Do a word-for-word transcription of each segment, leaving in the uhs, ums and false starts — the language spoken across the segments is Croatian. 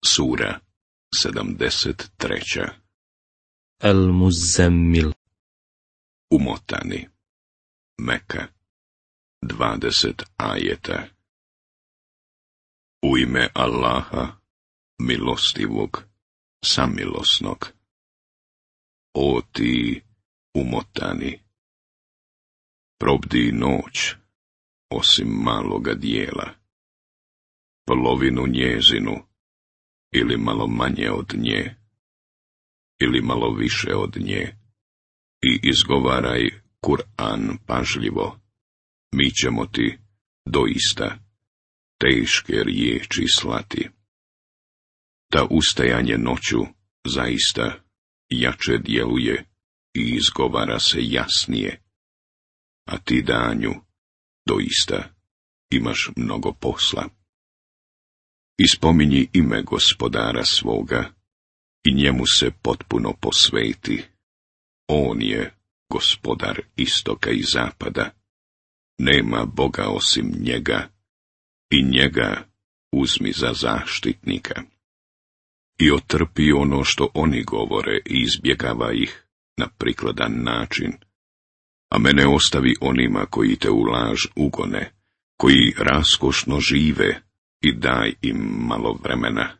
Sura sedamdeset treća. Al-Muzammil. Umotani. Meka. Dvadeset ajeta. U ime Allaha, milostivog, samilosnog. O ti umotani, probdi noć, osim maloga dijela, polovinu njezinu, ili malo manje od nje, ili malo više od nje, i izgovaraj Kur'an pažljivo, mi ćemo ti, doista, teške riječi slati. Ta ustajanje noću, zaista, jače djeluje i izgovara se jasnije, a ti danju, doista, imaš mnogo posla. Ispominji ime Gospodara svoga i njemu se potpuno posveti. On je Gospodar istoka i zapada. Nema Boga osim njega i njega uzmi za zaštitnika. I otrpi ono što oni govore i izbjegava ih na prikladan način. A mene ostavi onima koji te u laž ugone, koji raskošno žive, i daj im malo vremena.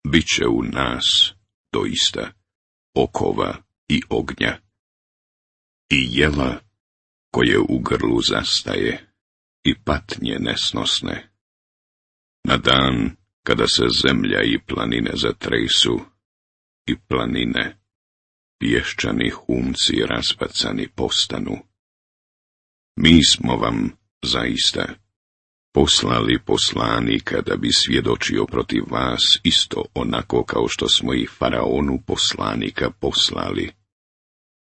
Biće u nas, doista, okova i ognja. I jela koje u grlu zastaje, i patnje nesnosne. Na dan kada se zemlja i planine zatresu, i planine, pješčani humci raspacani postanu. Mi smo vam, zaista, poslali poslanika da bi svjedočio protiv vas isto onako kao što smo i faraonu poslanika poslali.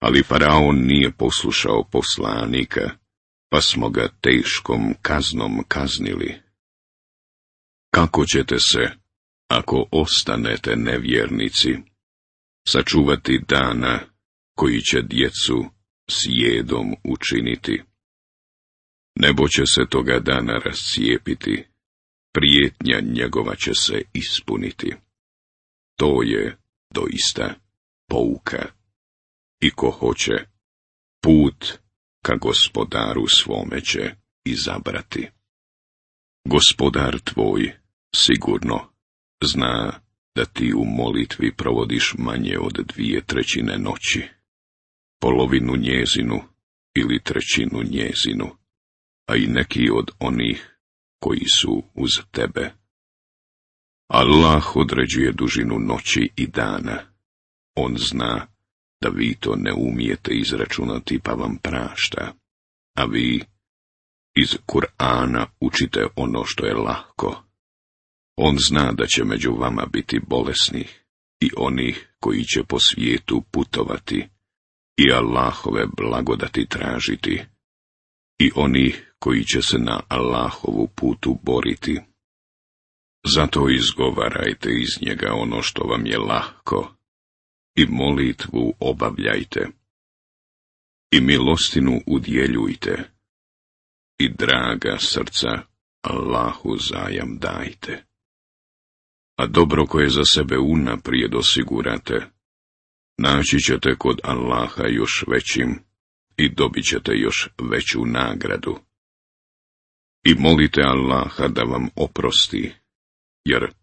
Ali faraon nije poslušao poslanika, pa smo ga teškom kaznom kaznili. Kako ćete se, ako ostanete nevjernici, sačuvati dana koji će djecu sjedom učiniti? Nebo će se toga dana rascijepiti, prijetnja njegova će se ispuniti. To je doista pouka. I ko hoće, put ka Gospodaru svome će izabrati. Gospodar tvoj, sigurno, zna da ti u molitvi provodiš manje od dvije trećine noći, polovinu njezinu ili trećinu njezinu, a i neki od onih koji su uz tebe. Allah određuje dužinu noći i dana. On zna da vi to ne umijete izračunati pa vam prašta, a vi iz Kur'ana učite ono što je lahko. On zna da će među vama biti bolesnih i onih koji će po svijetu putovati i Allahove blagodati tražiti, i onih koji će se na Allahovu putu boriti. Zato izgovarajte iz njega ono što vam je lahko i molitvu obavljajte i milostinu udjeljujte i draga srca Allahu zajam dajte. A dobro koje za sebe unaprijed osigurate, naći ćete kod Allaha još većim i dobit ćete još veću nagradu. I molite Allaha da vam oprosti, jer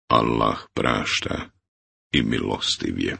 Allah prašta i milostiv je.